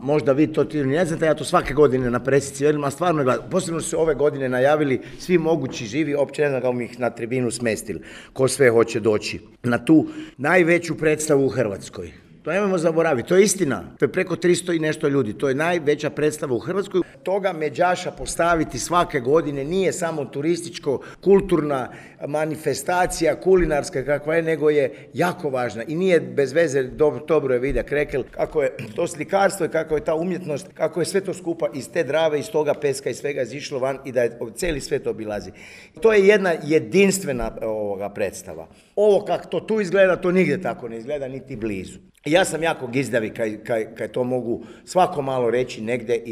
možda vi to ne znate, ja to svake godine na presici velim, a stvarno gledam. Posebno su se ove godine najavili svi mogući živi, opće ne znam kako ih na tribinu smestili, ko sve hoće doći na tu najveću predstavu u Hrvatskoj. To nemojmo zaboraviti, to je istina. To je preko 300 i nešto ljudi, to je najveća predstava u Hrvatskoj. Toga Međaša postaviti svake godine nije samo turističko-kulturna manifestacija, kulinarska kakva je, nego je jako važna. I nije bez veze, dobro je Vida Krekel, kako je to slikarstvo i kako je ta umjetnost, kako je sve to skupa iz te Drave, iz toga peska i svega izišlo van i da je cijeli svijet obilazi. To je jedna jedinstvena predstava. Ovo kako to tu izgleda, to nigdje tako ne izgleda, niti blizu. Ja sam jako gizdavi kaj to mogu svako malo reći negdje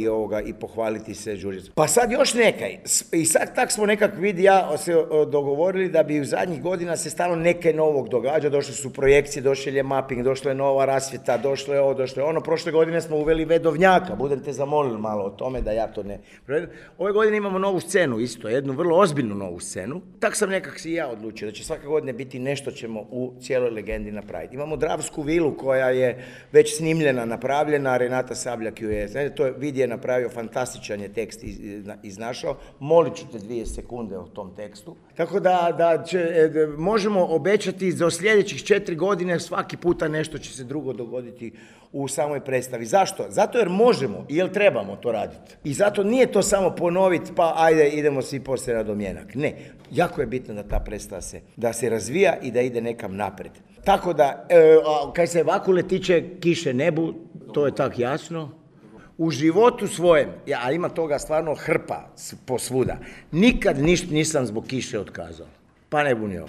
i pohvaliti se žuricu. Pa sad još nekaj. I sad tak smo nekak ja se dogovorili da bi u zadnjih godina se stalo neke novog događa. Došle su projekcije, došel je mapping, došla je nova rasvjeta, došlo je ovo, došlo je ono. Prošle godine smo uveli Vedovnjaka. Budem te zamolili malo o tome da ja to ne... Ove godine imamo novu scenu isto, jednu vrlo ozbiljnu novu scenu. Tak sam nekak si ja odlučio da će svake godine biti nešto ćemo u cijeloj legendi napraviti. Imamo Dravsku vilu koja je već snimljena, napravljena, Renata Sabljak ju je, to Vid je napravio, fantastičan je tekst iznašao, molit ću te 2 sekunde o tom tekstu. Tako da možemo obećati za sljedećih 4 godine svaki puta nešto će se drugo dogoditi u samoj predstavi. Zašto? Zato jer možemo i jer trebamo to raditi. I zato nije to samo ponoviti pa ajde idemo svi poslije na domjenak. Ne, jako je bitno da ta predstava da se razvija i da ide nekam naprijed. Tako da, kaj se Vakule tiče kiše nebu, to je tak jasno. U životu svojem, a ima toga stvarno hrpa posvuda, nikad ništa nisam zbog kiše otkazao. Pa ne bunio.